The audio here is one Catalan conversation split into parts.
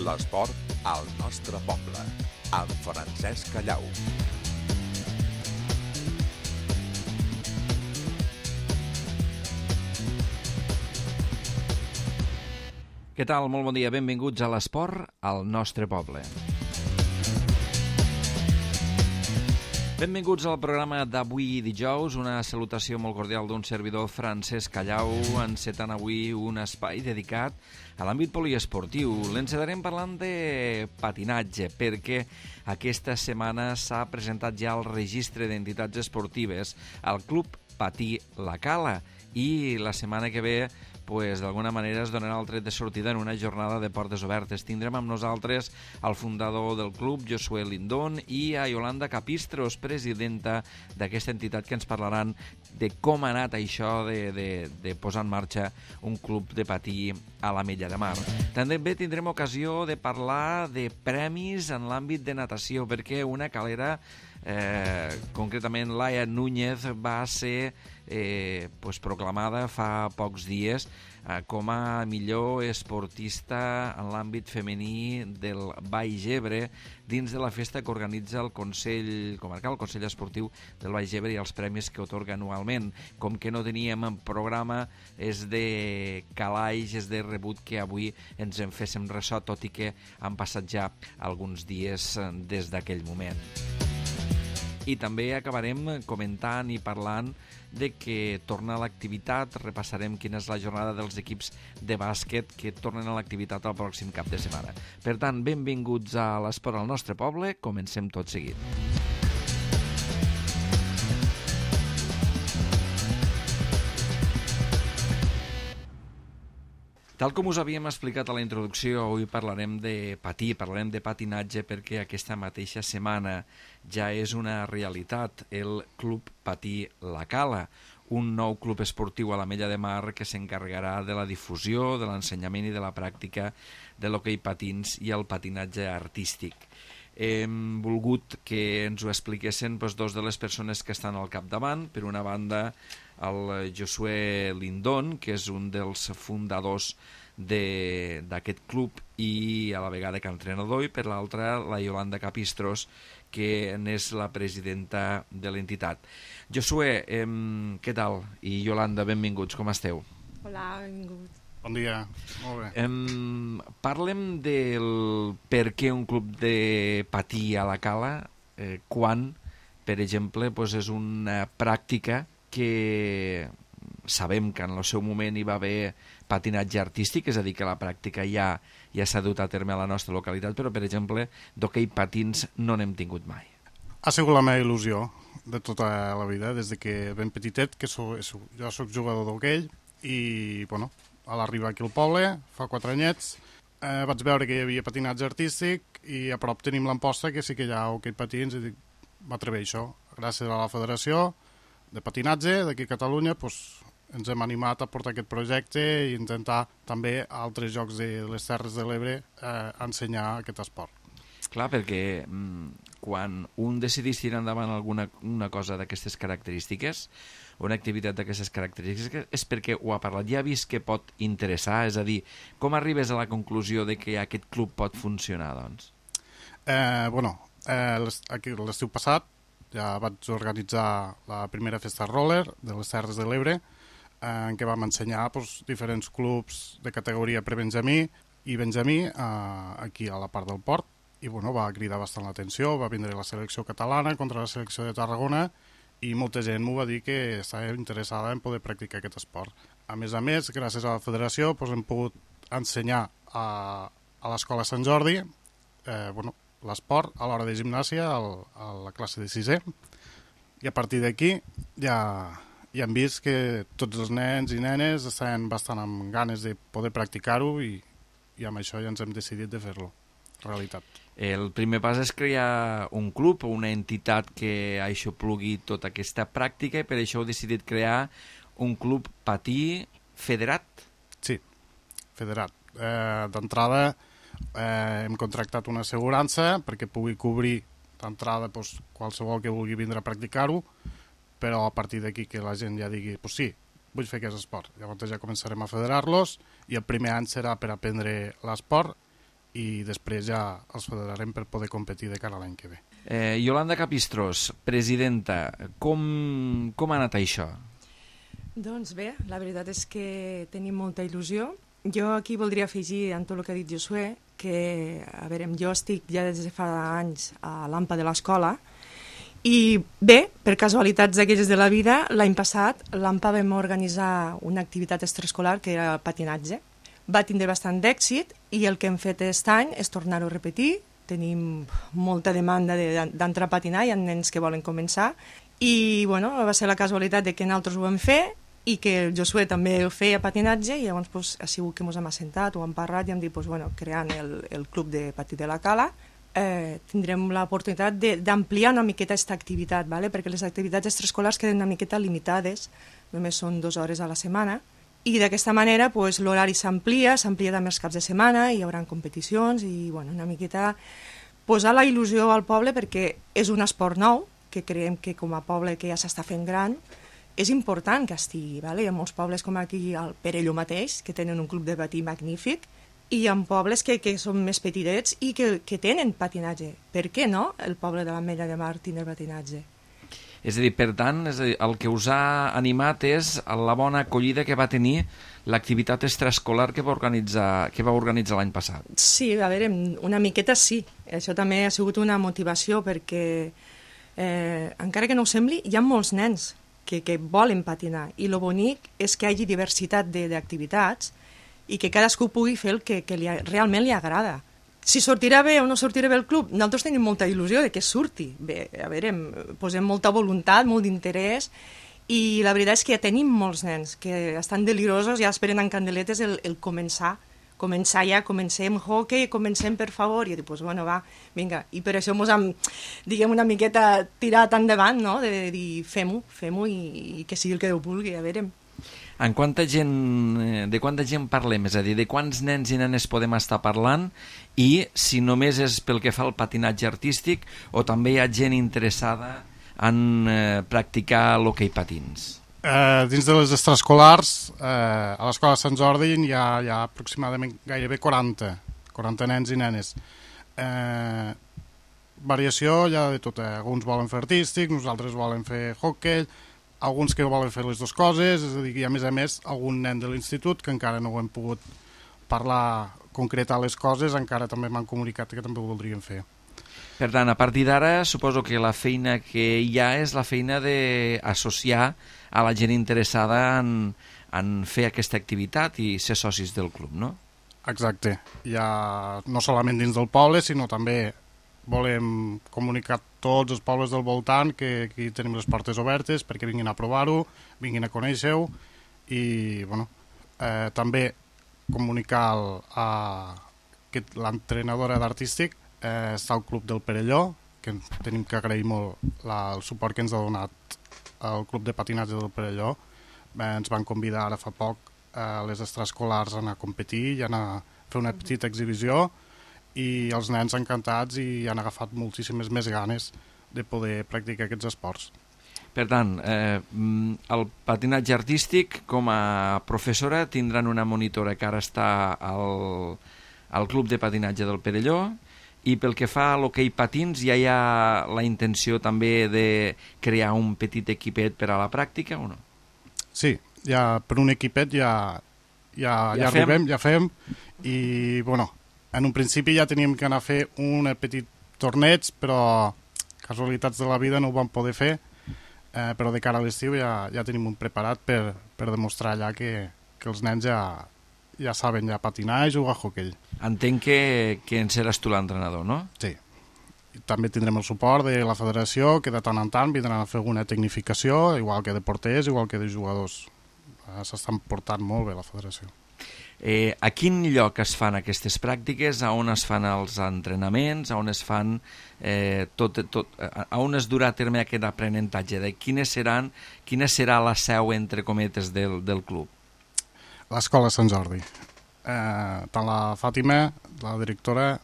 L'esport al nostre poble, amb Francesc Callau. Què tal? Molt bon dia. Benvinguts a l'esport al nostre poble. Benvinguts al programa d'avui dijous. Una salutació molt cordial d'un servidor, Francesc Callau, encetant avui un espai dedicat a l'àmbit poliesportiu. L'encetarem parlant de patinatge, perquè aquesta setmana s'ha presentat ja el registre d'entitats esportives al Club Patí La Cala i la setmana que ve d'alguna manera es donarà el tret de sortida en una jornada de portes obertes. Tindrem amb nosaltres el fundador del club, Josué Lindón, i a Yolanda Capistros, presidenta d'aquesta entitat, que ens parlaran de com ha anat això de posar en marxa un club de patí a l'Ametlla de Mar. També tindrem ocasió de parlar de premis en l'àmbit de natació, perquè una calera, concretament Laia Núñez, va ser proclamada fa pocs dies com a millor esportista en l'àmbit femení del Baix Ebre dins de la festa que organitza el Consell Comarcal, el Consell Esportiu del Baix Ebre, i els premis que otorga anualment. Com que no teníem en programa, és de calaix, és de rebut que avui ens en féssim ressò, tot i que han passat ja alguns dies des d'aquell moment. I també acabarem comentant i parlant de que torna a l'activitat. Repassarem quina és la jornada dels equips de bàsquet que tornen a l'activitat el pròxim cap de setmana. Per tant, benvinguts a l'esport al nostre poble. Comencem tot seguit. Tal com us havíem explicat a la introducció, avui parlarem de patí, parlarem de patinatge, perquè aquesta mateixa setmana ja és una realitat el Club Patí La Cala, un nou club esportiu a l'Ametlla de Mar que s'encarregarà de la difusió, de l'ensenyament i de la pràctica de l'hoquei patins i el patinatge artístic. Hem volgut que ens ho expliquessin dos de les persones que estan al capdavant. Per una banda, el Josué Lindón, que és un dels fundadors d'aquest club i a la vegada que entrenador, i per l'altra la Yolanda Capistros, que n'és la presidenta de l'entitat. Josué, què tal? I Yolanda, benvinguts, com esteu? Hola, benvinguts. Bon dia, molt bé. Parlem del per què un club de patí a la Cala, quan, per exemple, és una pràctica que sabem que en el seu moment hi va haver patinatge artístic, és a dir, que la pràctica ja s'ha dut a terme a la nostra localitat, però, per exemple, d'hoquei patins no n'hem tingut mai. Ha sigut la meva il·lusió de tota la vida, des de que ben petitet, que jo soc jugador d'hoquei, i, bueno, a l'arribar aquí al poble, fa 4 anyets, vaig veure que hi havia patinatge artístic i a prop tenim l'Amposta, que sí que hi ha hoquei patins, i dic, m'atreveixo això. Gràcies a la Federació de Patinatge d'aquí a Catalunya, ens hem animat a portar aquest projecte i intentar també a altres llocs de les Terres de l'Ebre ensenyar aquest esport. Clar, perquè quan un decidís tirar endavant una cosa d'aquestes característiques, una activitat d'aquestes característiques, és perquè ho ha parlat, ja ha vist que pot interessar, és a dir, com arribes a la conclusió de que aquest club pot funcionar, doncs? L'estiu passat ja vaig organitzar la primera festa roller de les Terres de l'Ebre, en què vam ensenyar diferents clubs de categoria prebenjamí i benjamí aquí a la part del port, i va cridar bastant l'atenció. Va vindre la selecció catalana contra la selecció de Tarragona i molta gent m'ho va dir que estava interessada en poder practicar aquest esport. A més, gràcies a la federació hem pogut ensenyar a l'escola Sant Jordi l'esport a l'hora de gimnàsia a la classe de 6è, i a partir d'aquí ja hem vist que tots els nens i nenes estaven bastant amb ganes de poder practicar-ho, i amb això ja ens hem decidit de fer-lo realitat. El primer pas és crear un club o una entitat que aixoplugui tota aquesta pràctica, i per això heu decidit crear un club patí federat? Sí, federat. D'entrada hem contractat una assegurança perquè pugui cobrir d'entrada qualsevol que vulgui vindre a practicar-ho, però a partir d'aquí que la gent ja digui sí, vull fer aquest esport. Llavors ja començarem a federar-los, i el primer any serà per aprendre l'esport i després ja els federarem per poder competir de cara a l'any que ve. Iolanda Capistrós, presidenta, com ha anat això? Doncs bé, la veritat és que tenim molta il·lusió. Jo aquí voldria afegir en tot el que ha dit Josué que, a veure, jo estic ja des de fa anys a l'AMPA de l'escola i bé, per casualitats d'aquelles de la vida, l'any passat l'AMPA vam organitzar una activitat extraescolar que era patinatge. Va tindre bastant d'èxit i el que hem fet aquest any és tornar-ho a repetir. Tenim molta demanda d'entrar a patinar, hi ha nens que volen començar i bueno, va ser la casualitat de que nosaltres ho vam fer i que el Josué també feia patinatge i llavors pues, ha sigut que ens hem assentat, ho hem parlat i hem dit pues, bueno, creant el club de patí de la Cala tindrem l'oportunitat d'ampliar una miqueta aquesta activitat, ¿vale? Perquè les activitats extraescolars queden una miqueta limitades, només són 2 hores a la setmana i d'aquesta manera pues, l'horari s'amplia també els caps de setmana, hi haurà competicions i bueno, una miqueta posar la il·lusió al poble perquè és un esport nou que creiem que com a poble que ja s'està fent gran és important que estigui, ¿vale? Hi ha molts pobles com aquí al Perelló mateix que tenen un club de patí magnífic i hi ha pobles que són més petitets i que tenen patinatge. Per què no el poble de l'Ametlla de Mar tindre patinatge? És a dir, per tant, el que us ha animat és la bona acollida que va tenir l'activitat extraescolar que va organitzar l'any passat. Sí, a veure, una miqueta sí. Això també ha sigut una motivació perquè, encara que no ho sembli, hi ha molts nens que volen patinar i el bonic és que hi hagi diversitat d'activitats i que cadascú pugui fer el que realment li agrada. Si sortirà bé o no sortirà bé el club, nosaltres tenim molta il·lusió de que surti bé. A veure, posem molta voluntat, molt d'interès i la veritat és que ja tenim molts nens que estan delirosos, ja esperen en candeletes el començar ja, comencem hockey, comencem per favor, i jo dic, pues bueno, va, vinga, i per això ens hem, diguem, una miqueta tirat endavant, no?, de dir, fem-ho i que sigui el que Déu vulgui, a veure. De quanta gent parlem? És a dir, de quants nens i nenes podem estar parlant i si només és pel que fa al patinatge artístic o també hi ha gent interessada en practicar l'hoquei patins? Dins de les extraescolars, a l'escola Sant Jordi hi ha aproximadament gairebé 40 nens i nenes. Variació hi ha de tot, alguns volen fer artístic, nosaltres volen fer hoquei, alguns que volen fer les dues coses, és a dir, i a més algun nen de l'institut que encara no ho hem pogut parlar, concretar les coses, encara també m'han comunicat que també ho voldrien fer. Per tant, a partir d'ara, suposo que la feina que hi ha és la feina d'associar a la gent interessada en fer aquesta activitat i ser socis del club, no? Exacte. Ja no solament dins del poble, sinó també volem comunicar tots els pobles del voltant que aquí tenim les portes obertes perquè vinguin a provar-ho, vinguin a conèixer-ho i bueno, també comunicar que l'entrenadora d'artístic està al Club del Perelló, que tenim que agrair molt el suport que ens ha donat el Club de Patinatge del Perelló. Ens van convidar ara fa poc a les extraescolars a anar a competir i a anar a fer una petita exhibició i els nens encantats i han agafat moltíssimes més ganes de poder practicar aquests esports. Per tant, el patinatge artístic, com a professora, tindran una monitora que ara està al Club de Patinatge del Perelló i pel que fa a l'hoquei patins ja hi ha la intenció també de crear un petit equipet per a la pràctica o no? Sí, ja per un equipet ja arribem, ja fem i bueno, en un principi ja teníem que anar a fer un petit torneig, però casualitats de la vida no ho vam poder fer, però de cara a l'estiu ja tenim un preparat per demostrar allà que els nens ja saben patinar i jugar a hoquei. Entenc que en seràs tu l'entrenador, no? Sí. També tindrem el suport de la federació, que de tant en tant vindran a fer alguna tecnificació, igual que de porters, igual que de jugadors. S'estan portant molt bé la federació. A quin lloc es fan aquestes pràctiques? A on es fan els entrenaments? A on es fan a on es durà a terme aquest aprenentatge? Quina serà la seu, entre cometes, del club? L'escola Sant Jordi. Tant la Fàtima, la directora,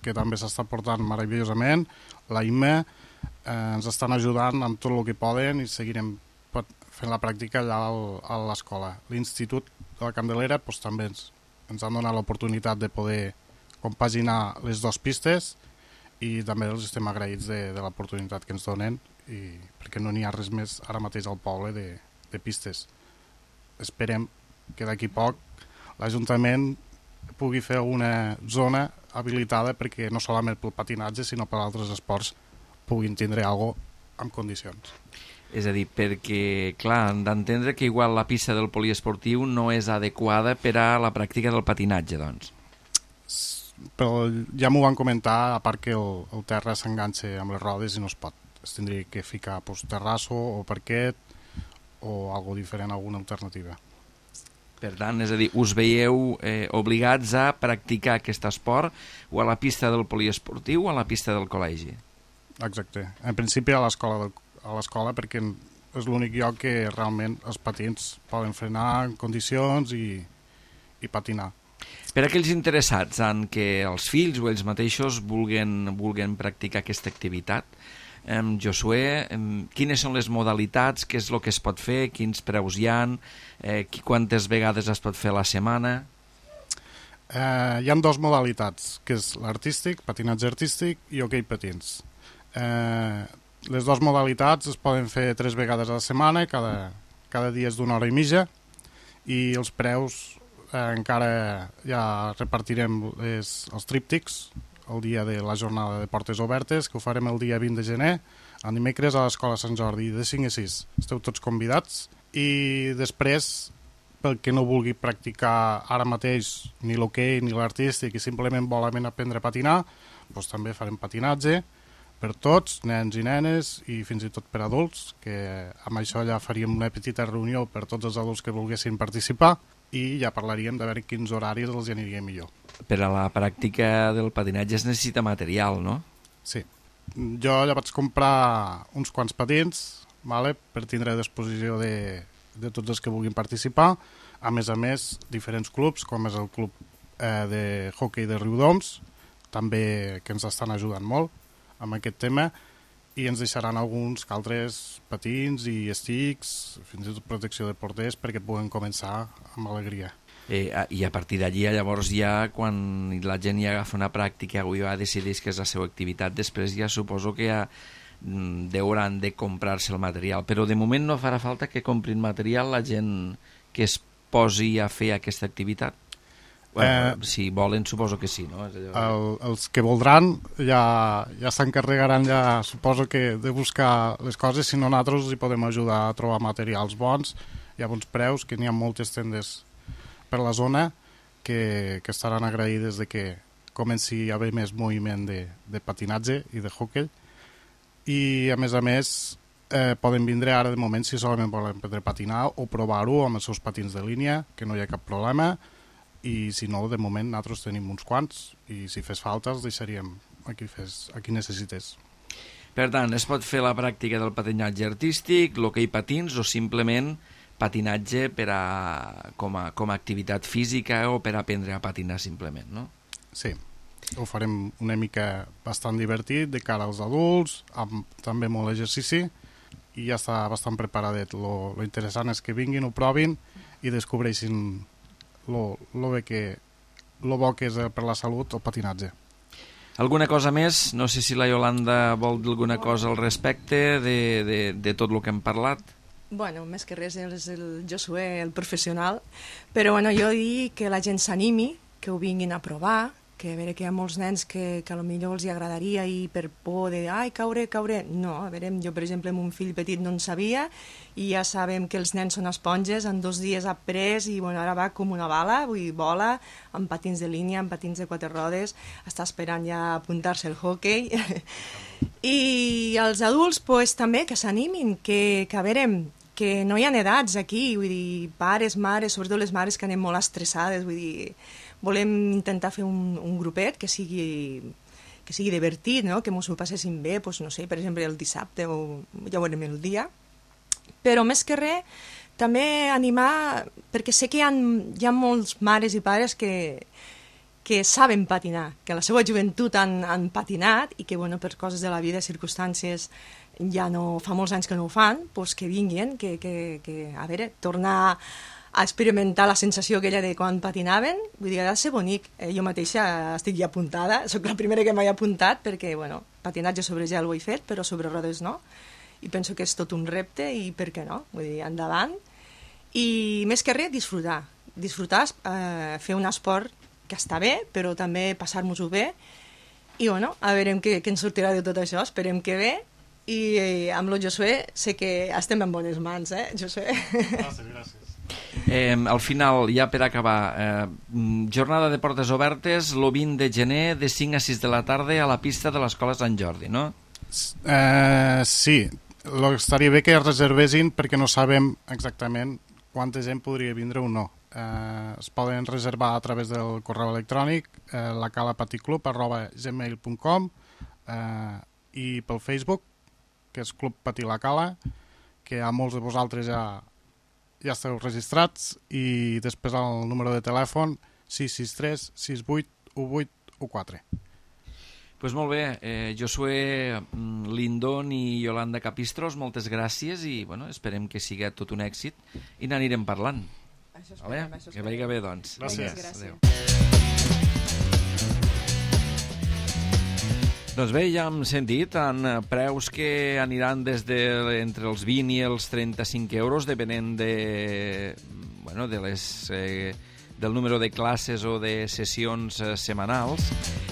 que també s'està portant meravellosament, la Imma, ens estan ajudant amb tot el que poden i seguirem fent la pràctica allà a l'escola. L'Institut de la Candelera també ens han donat l'oportunitat de poder compaginar les dues pistes, i també els estem agraïts de l'oportunitat que ens donen, perquè no n'hi ha res més ara mateix al poble de pistes. Esperem que d'aquí poc l'Ajuntament pugui fer una zona habilitada perquè no solament pel patinatge sinó per altres esports puguin tindre alguna cosa en condicions. És a dir, perquè, clar, han d'entendre que igual la pista del poliesportiu no és adequada per a la pràctica del patinatge, doncs. Però ja m'ho van comentar, a part que el terra s'enganxa amb les rodes i no es pot. Es tindria que ficar terrasso o parquet o algo diferent, alguna alternativa. Per tant, és a dir, us veieu obligats a practicar aquest esport o a la pista del poliesportiu o a la pista del col·legi? Exacte. En principi a l'escola perquè és l'únic lloc que realment els patins poden frenar en condicions i patinar. Per a aquells interessats en què els fills o ells mateixos vulguin practicar aquesta activitat, Josué, quines són les modalitats, què és el que es pot fer, quins preus hi ha, quantes vegades es pot fer a la setmana? Hi ha dues modalitats, que és l'artístic, patinatge artístic i hoquei patins. Les dues modalitats es poden fer 3 vegades a la setmana, cada dia és d'1 hora i mitja, i els preus encara ja repartirem els tríptics el dia de la jornada de portes obertes, que ho farem el dia 20 de gener, el dimecres a l'Escola Sant Jordi, de 5 a 6. Esteu tots convidats. I després, pel que no vulgui practicar ara mateix ni l'hoquei ni l'artístic i simplement vol aprendre a patinar, doncs també farem patinatge per tots, nens i nenes i fins i tot per adults, que amb això ja faríem una petita reunió per tots els adults que volguessin participar i ja parlaríem de veure quins horaris els aniria millor. Per a la pràctica del patinatge es necessita material, no? Sí. Jo ja vaig comprar uns quants patins, per tindre a disposició de tots els que vulguin participar. A més, diferents clubs, com és el club de hoquei de Riudoms, també que ens estan ajudant molt amb aquest tema, i ens deixaran alguns que altres patins i estics, fins i tot protecció de porters, perquè puguen començar amb alegria. I a partir d'allí, llavors ja, quan la gent ja agafa una pràctica o ja decideix que és la seva activitat, després ja suposo que ja hauran de comprar-se el material. Però de moment no farà falta que comprin material la gent que es posi a fer aquesta activitat? Si volen, suposo que sí, no? Els que voldran ja s'encarregaran, ja suposo que de buscar les coses, si no nosaltres hi podem ajudar a trobar materials bons i a bons preus, que n'hi ha moltes tendes per la zona que estaran agraïdes de que comenci a haver més moviment de patinatge i de hoquei, i a més poden vindre ara de moment si solament volen aprendre a patinar o provar-ho amb els seus patins de línia, que no hi ha cap problema, i si no, de moment nosaltres tenim uns quants i si fes falta els deixaríem a qui necessités. Per tant, es pot fer la pràctica del patinatge artístic, l'hoquei patins o simplement patinatge com a activitat física o per aprendre a patinar simplement, no? Sí, ho farem una mica bastant divertit de cara als adults, amb també molt exercici, i ja està bastant preparadet. Lo interessant és que vinguin, ho provin i descobreixin lo bo que és per la salut el patinatge. Alguna cosa més? No sé si la Iolanda vol dir alguna cosa al respecte de tot el que hem parlat. Bueno, més que res és el Josué, el professional, però jo dic que la gent s'animi, que ho vinguin a provar, que a veure que hi ha molts nens que potser els agradaria i per por de caure, no, a veure, jo per exemple amb un fill petit no en sabia i ja sabem que els nens són esponges, en 2 dies ha après i ara va com una bala, vull dir, vola, amb patins de línia, amb patins de 4 rodes, està esperant ja apuntar-se al hoquei. I els adults també que s'animin, que a veure, que no hi ha edats aquí, vull dir, pares, mares, sobretot les mares que anem molt estressades, vull dir, volem intentar fer un grupet que sigui divertit, no? Que ens ho passéssim bé, no sé, per exemple el dissabte o ja veurem el dia, però més que res també animar, perquè sé que hi ha molts mares i pares que saben patinar, que a la seva joventut han patinat i que per coses de la vida, circumstàncies, ja no fa molts anys que no ho fan, doncs que vinguin, que a veure, tornar a experimentar la sensació aquella de quan patinaven, vull dir, ha de ser bonic. Jo mateixa estic ja apuntada, sóc la primera que m'he apuntat perquè, bueno, patinatge sobre gel ho he fet, però sobre rodes no, i penso que és tot un repte i per què no, vull dir, endavant. I més que res, disfrutar, fer un esport que està bé, però també passar-nos-ho bé, i bueno, a veure què ens sortirà de tot això, esperem que bé, i amb el Josué sé que estem en bones mans, Josué? Gràcies. Al final, ja per acabar, jornada de portes obertes el 20 de gener de 5 a 6 de la tarda a la pista de l'Escola Sant Jordi, no? Sí, estaria bé que reservessin perquè no sabem exactament quanta gent podria vindre o no. Es poden reservar a través del correu electrònic lacalapaticlub@gmail.com i pel Facebook, que és Club Patí La Cala, que a molts de vosaltres ja esteu registrats, i després el número de telèfon 663 68 18 14. Pues molt bé, Josué Lindon i Yolanda Capistros, moltes gràcies i bueno, esperem que sigui tot un èxit i n'anirem parlant. Això esperem, Que vagi bé, doncs. Gràcies. Adéu. Doncs bé, ja hem sentit en preus que aniran des entre els 20 i els 35 euros, depenent del número de classes o de sessions setmanals,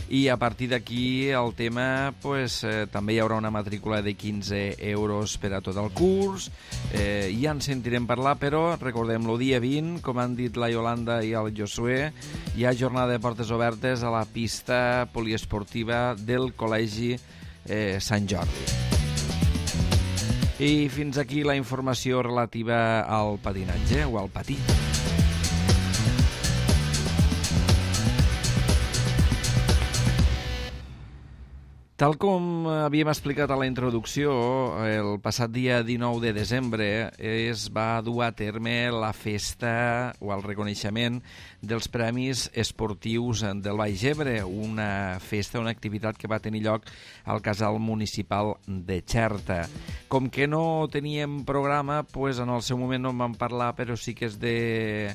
i a partir d'aquí el tema també hi haurà una matrícula de 15 euros per a tot el curs. Ja en sentirem parlar, però recordem, el dia 20, com han dit la Yolanda i el Josué, hi ha jornada de portes obertes a la pista poliesportiva del Col·legi Sant Jordi. I fins aquí la informació relativa al patinatge o al patí. Tal com havíem explicat a la introducció, el passat dia 19 de desembre es va dur a terme la festa o el reconeixement dels Premis Esportius del Baix Ebre, una festa, una activitat que va tenir lloc al Casal Municipal de Xerta. Com que no teníem programa, en el seu moment no en vam parlar, però sí que és de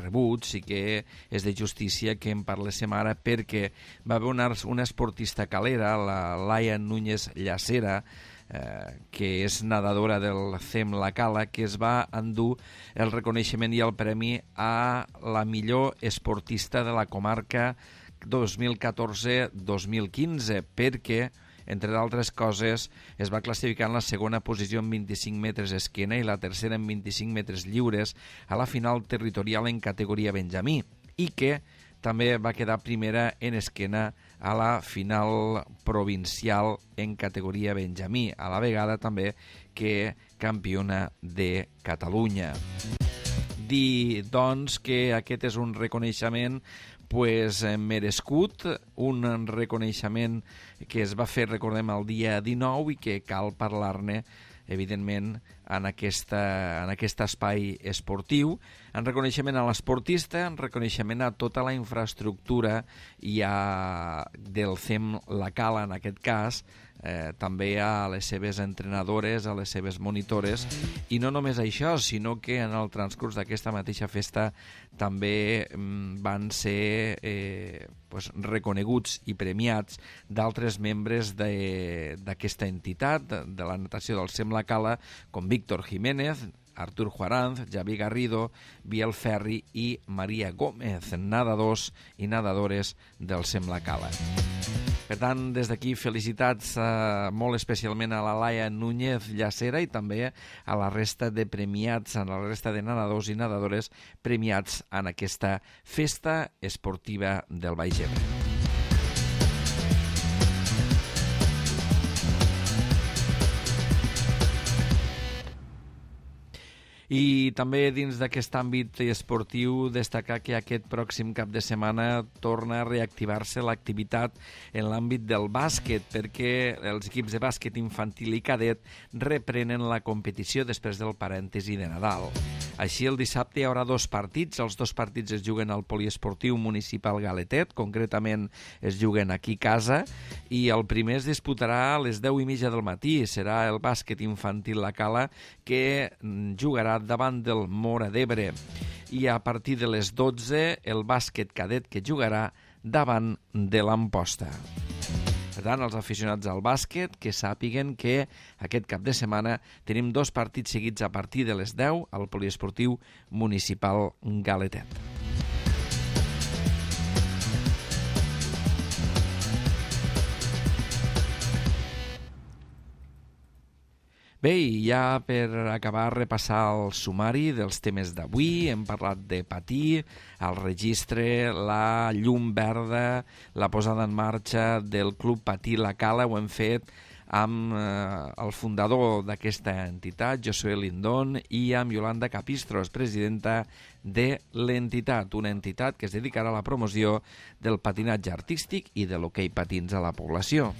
rebut, sí que és de justícia que en parléssim ara, perquè va haver una esportista calera, la Laia Núñez Llacera, que és nedadora del CEM La Cala, que es va endur el reconeixement i el premi a la millor esportista de la comarca 2014-2015, perquè entre d'altres coses, es va classificar en la segona posició en 25 metres esquena i la tercera en 25 metres lliures a la final territorial en categoria benjamí, i que també va quedar primera en esquena a la final provincial en categoria benjamí, a la vegada també que campiona de Catalunya. Dir, doncs, que aquest és un reconeixement merescut, un reconeixement que es va fer, recordem, el dia 19 i que cal parlar-ne, evidentment, en aquest espai esportiu, en reconeixement a l'esportista, en reconeixement a tota la infraestructura i del CEM La Cala, en aquest cas, també a les seves entrenadores, a les seves monitores, i no només això, sinó que en el transcurs d'aquesta mateixa festa també van ser reconeguts i premiats d'altres membres d'aquesta entitat, de la natació del CEM La Cala, com Víctor Jiménez, Artur Juaranz, Javi Garrido, Biel Ferri i Maria Gómez, nedadors i nedadores del CEM La Cala. Per tant, des d'aquí, felicitats molt especialment a la Laia Núñez Llacera i també a la resta de premiats, a la resta de nedadors i nedadores premiats en aquesta festa esportiva del Baix Ebre. I també dins d'aquest àmbit esportiu destacar que aquest pròxim cap de setmana torna a reactivar-se l'activitat en l'àmbit del bàsquet, perquè els equips de bàsquet infantil i cadet reprenen la competició després del parèntesi de Nadal. Així, el dissabte hi haurà 2 partits. Els 2 partits es juguen al Poliesportiu Municipal Galetet, concretament es juguen aquí a casa, i el primer es disputarà a les 10:30 del matí. Serà el bàsquet infantil La Cala, que jugarà davant del Móra d'Ebre. I a partir de les 12, el bàsquet cadet, que jugarà davant de l'Amposta. Per tant, els aficionats al bàsquet que sàpiguen que aquest cap de setmana tenim 2 partits seguits a partir de les 10 al Poliesportiu Municipal Galetet. Bé, i ja per acabar, repassar el sumari dels temes d'avui. Hem parlat de patir, el registre, la llum verda, la posada en marxa del Club Patí La Cala. Ho hem fet amb el fundador d'aquesta entitat, Josué Lindón, i amb Yolanda Capistros, presidenta de l'entitat, una entitat que es dedicarà a la promoció del patinatge artístic i de l'hoquei patins a la població.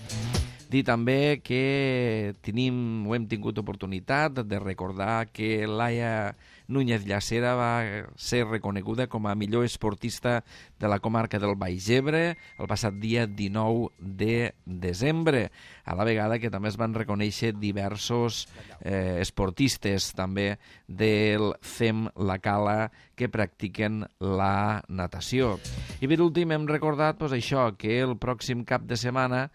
Dir també que hem tingut oportunitat de recordar que Laia Núñez Llacera va ser reconeguda com a millor esportista de la comarca del Baix Ebre el passat dia 19 de desembre, a la vegada que també es van reconèixer diversos esportistes també del CEM La Cala que practiquen la natació. I per últim hem recordat això, que el pròxim cap de setmana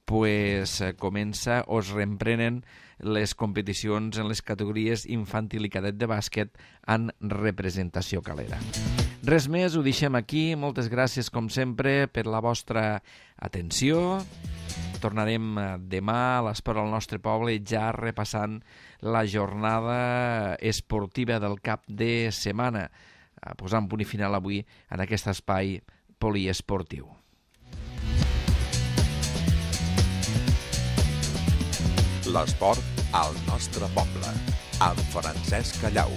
comença o es reemprenen les competicions en les categories infantil i cadet de bàsquet en representació calera. Res més, ho deixem aquí. Moltes gràcies, com sempre, per la vostra atenció. Tornarem demà a l'Esport al nostre poble, ja repassant la jornada esportiva del cap de setmana, posant punt i final avui en aquest espai poliesportiu. L'esport al nostre poble, amb Francesc Callau.